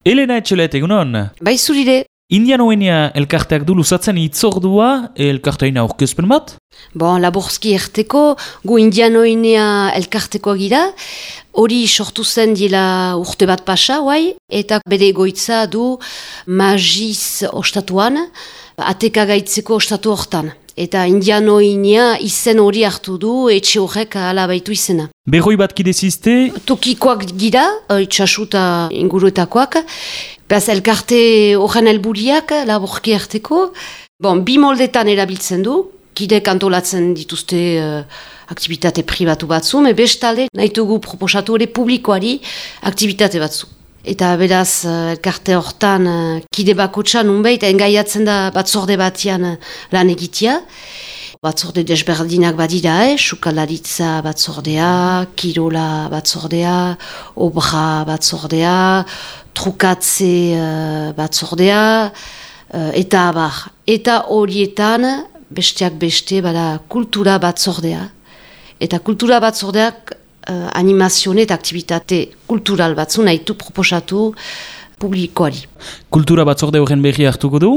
Elena Etxelet, egunon? Bai zurire. Indianoenia elkarteak du luzatzen itzordua elkarteina aurkezpen bat? Bon, laborski erteko, gu Indianoenia elkartekoa gira, hori sortu zen dila urte bat pasa, eta bere egoitza du Magiz ostatuan, ateka gaitzeko ostatu hortan. Eta Indianoenia izen hori hartu du, etxe horrek ala baitu izena. Berroi bat kidezizte? Tokikoak gira, itxasuta inguruetakoak. Beaz, elkarte horren helburiak, laborki arteko. Bon, bi moldetan erabiltzen du, kidek antolatzen dituzte aktivitate pribatu batzu, me bestalde nahitugu proposatu ere publikoari aktivitate batzu. Eta beraz, elkarte hortan kide bakotxan unbeit, engaiatzen da batzorde batian lan egitea. Batzorde desberdinak badira, sukalaritza batzordea, kirola batzordea, obra batzordea, trukatze batzordea, eta abar. Eta horietan, besteak beste, bada kultura batzordea. Eta kultura batzordeak animazione eta aktivitate kultural batzu nahitu proposatu publikoari. Kultura batzorde horren berri hartuko du?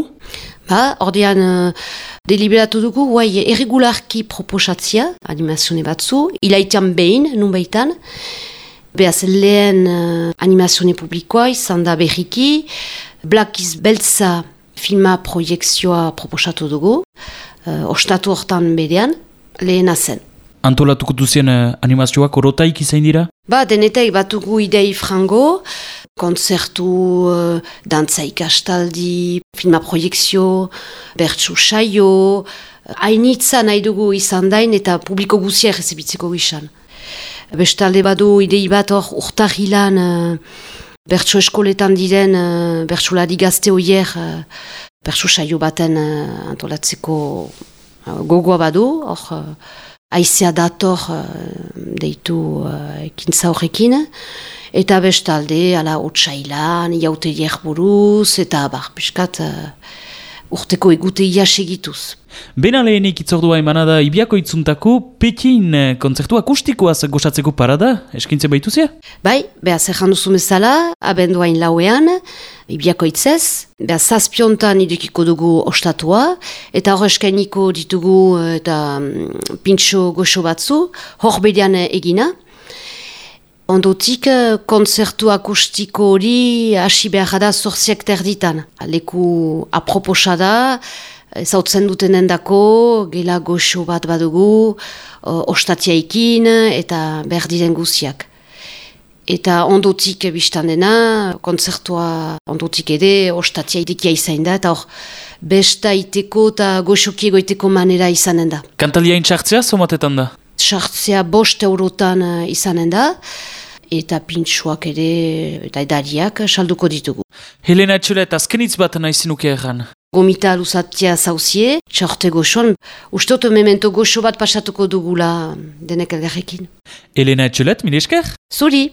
Ordean deliberatu dugu, erregularki proposatzia animazione batzu, ilaitean behin, nunbaitan. Beaz lehen animazione publikoa izan da berriki, Blakiz Beltza filma proiekzioa proposatu dugu, ostatu hortan berean, lehena zen. Antolatuko duzien animazioak orotaik izain dira? Denetek batugu idei frango, kontzertu, dantza ikastaldi, filma proiekzio, bertsu saio, hainitza nahi dugu izan dain eta publiko guzia errezibitzeko gizan. Bestalde badu idei bat hor urtahilan bertsu eskoletan diren bertsulari gazte hoier bertsu saio baten antolatzeko gogoa badu, hor aizea dator deitu ekintza horrekin, eta bestalde, ala otsailan, jauteiek buruz, eta piskat urteko eguteia segituz. Bena lehenik itzordua emanada Ibiako itzuntako Pekin kontzertu akustikoaz gozatzeko parada, eskintze baituzia? Bai, behaz erran duzu bezala, abenduain lauean, Ibiako itzez, behaz zazpiontan idekiko dugu ostatua, eta hor eskainiko ditugu eta pintxo goxo batzu, hor bedean egina. Ondotik, kontzertu akustiko hori hasi behar da 8 terditan. Leku aproposa da, ezautzen dutenen dako, gela goxo bat badugu, ostatiaikin eta berdiren guziak. Eta ondotik biztan dena, kontzertua ondotik ere, ostatiaikia izan da, eta hor, besta iteko eta goxoki egoiteko manera izanen da. Kantaliain txartzea, somatetan da? Txartzea 5 eurotan izanen da, eta pintxuak ere, eta edariak salduko ditugu. Helena Etxelet, azkenitz bat nahizinuke erran? Gomita luzatia zauzie, txorte goxoan, ustot memento goxo bat pasatuko dugula denek elgarrekin. Helena Etxelet, mile esker? Zuri!